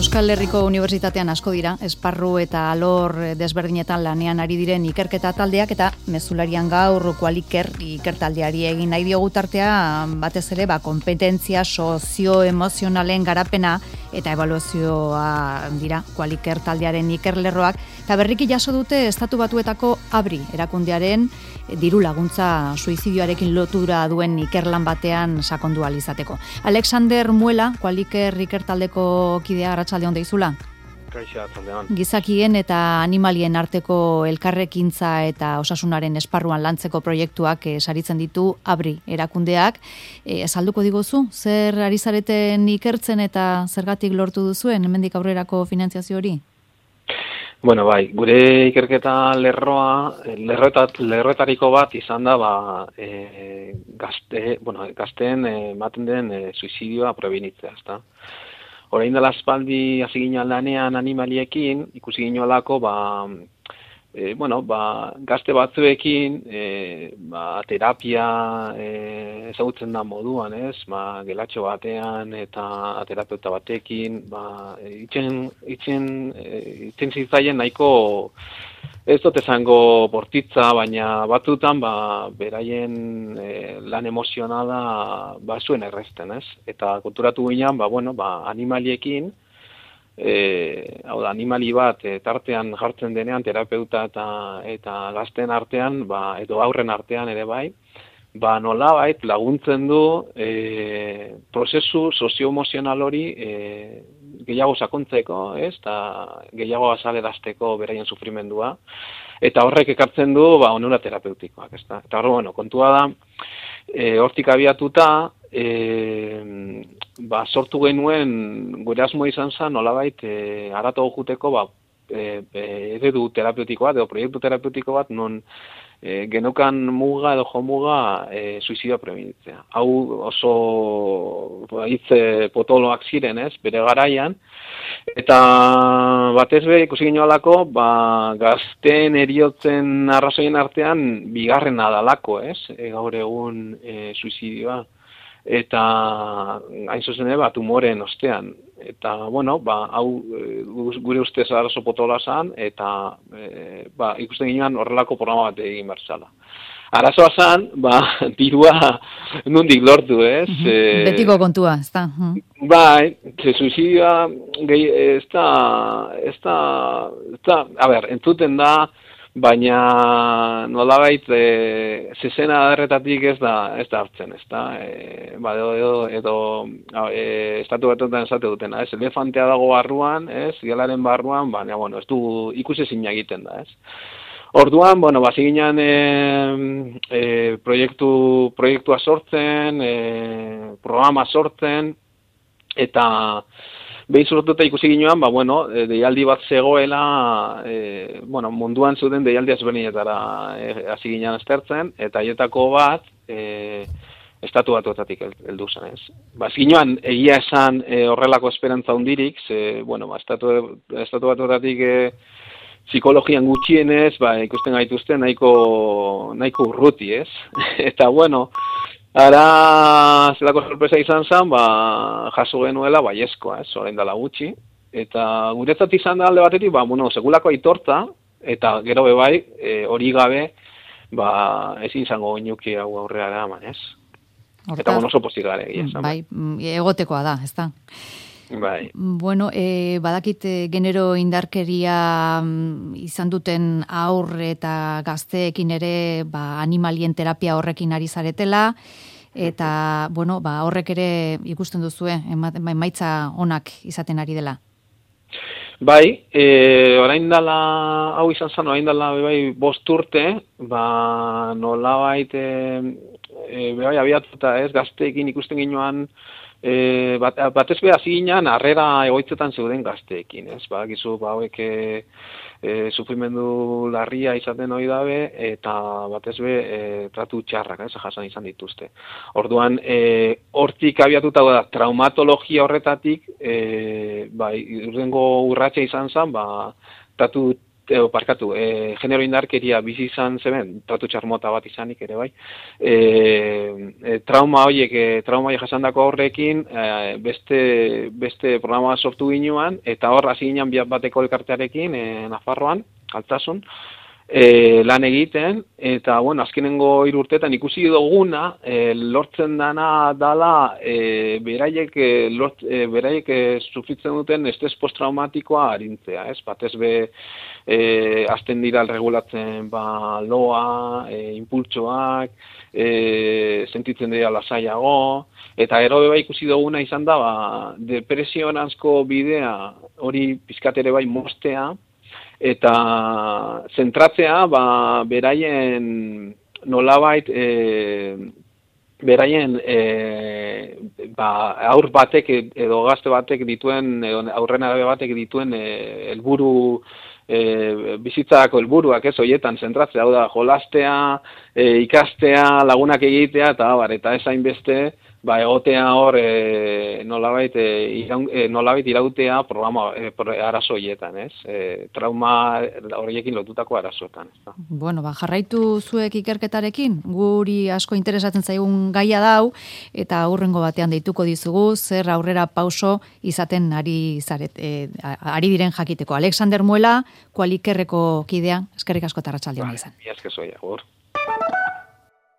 Euskal Herriko Unibertsitatean asko dira, esparru eta alor desberdinetan lanean ari diren ikerketa taldeak eta mezularian gaur Qualiker ikertaldeari egin nahi diogu tartea batez ere kompetentzia sozioemozionalen garapena eta ebaluazioa dira Qualiker taldearen ikerlerroak eta berriki jaso dute Estatu Batuetako ABRI erakundearen diru laguntza suizidioarekin lotura duen ikerlan batean sakondu ahal izateko. Alexander Muela, Qualiker ikertaldeko kidea, arratsaldeon deizula. Kaixo, arratsaldeon. Gizakien eta animalien arteko elkarrekintza eta osasunaren esparruan lantzeko proiektuak saritzen ditu ABRI erakundeak. Azalduko diguzu, zer ari zareten ikertzen eta zergatik lortu duzuen hemendik aurrerako finantziazio hori? Bueno, bai, gure ikerketa lerroetariko bat izan da gazteen ematen den suizidioa prebenitzea, ezta. Orain dela aspaldi hasi ginen lanean animaliekin, ikusi ginolako gazte batzuekin terapia ezagutzen da moduan, ez? Gelatxo batean eta terapeuta batekin, itzen zitzaien nahiko ez dut esango bortitza, baina batzutan beraien lan emozionala zuen errezten, ez? Eta konturatu ginen, animaliekin, animali bat tartean jartzen denean terapeuta eta gazten artean, edo aurren artean ere bai, nolabait laguntzen du prozesu sozioemozional hori gehiago sakontzeko, eta gehiago azalerazteko beraien sufrimendua, eta horrek ekartzen du onura terapeutikoak, ezta. Eta kontua da, hortik abiatuta, sortu genuen gure asmoa izan zen nolabait haratago joateko eredu terapeutiko bat edo proiektu terapeutiko bat non geneukan muga edo jomuga suizidioa prebenitzea. Hau oso hitz potoloak ziren, ez, bere garaian, eta batez be ikusi ginolako gazteen heriotzen arrazoien artean bigarrena dalako, ez, gaur egun suizidioa. Eta hain zuzen ere tumoren ostean. Eta, hau gure ustez arazo potola zan, eta ikusten ginean horrelako programa bat egin berzala. Arazoa zan, dirua nondik lortu, ez? Betiko kontua, ez da? Bai, suizidioa entzuten da, baina nolabait zezena derretatik ez da hartzen, ez da? Edo Estatu Batuetan esate dutena, ez? Elefantea dago barruan, ez? Gelaren barruan, baina, ez du ikusezina egiten da, ez? Orduan, hasi ginen proiektua sortzen, programa sortzen, eta behin sortuta ikusi ginoan, deialdi bat zegoela, munduan zuten deialdi ezberdinetara hasi ginen aztertzen, eta haietako bat Estatu Batuetatik heldu zen, ez. Hasi ginoan egia esan horrelako esperantza hundirik, Estatu Batuetatik psikologian gutxienez, ikusten gaituzte nahiko urruti, ez. Eta, ara zelako sorpresa izan zen, jaso genuela baiezkoa, ez, orain dela gutxi. Eta guretzat izan da alde batetik, segulako aitortza, eta gero bebai, hori gabe, ezin izango oinuki hau aurrera eraman, ez. Eta oso pozik gara egia esan. Bai, egotekoa da, ez da. Bai. Badakit genero indarkeria izan duten aur eta gazteekin ere animalien terapia horrekin ari zaretela, eta horrek ere ikusten duzue, emaitza onak izaten ari dela. Bai, orain dela, hau izan zen, orain dela 5 urte, nolabait abiatuta ez, gazteekin ikusten ginoan, batez be hasi ginen harrera egoitzetan zeuden gazteekin, ez? Gizu, hauek sufrimendu larria izaten hori dabe, eta batez be tratu txarrak, ez? Jasan izan dituzte. Orduan, hortik abiatuta da, traumatologia horretatik, urrengo urratsa izan zen, genero indarkeria bizi izan zeben, tratu txarmota bat izanik ere bai, trauma horiek jasandako horrekin beste programa sortu ginuan, eta hor hasi ginen bateko elkartearekin Nafarroan, Altsasun, lan egiten, eta bueno, azkenengo 3 urteetan ikusi duguna lortzen dana dala beraiek sufritzen duten estres posttraumatikoa arintzea, ez? Batez be azten dira regulatzen loa, impultsoak, sentitzen dira lasaiago, eta gero ikusi duguna izan da depresioranzko bidea hori pizkat ere bai moztea, eta zentratzea beraien nolabait beraien aur batek edo gazte batek dituen edo aurrenarabe batek dituen helburu bizitzako helburuak, ez horietan zentratzea, hau da jolastea, ikastea, lagunak egitea eta ez hainbeste egotea hor nolabait irautea programa arazo horietan, ez? Trauma horiekin lotutako arazoetan. Bueno, jarraitu zuek ikerketarekin, guri asko interesatzen zaigun gaia dau, eta hurrengo batean deituko dizugu, zer aurrera pauso izaten ari diren jakiteko. Alexander Muela, Kualikerreko kidea, eskerrik asko eta arratsalde ona izan. Mila esker zuei, agur.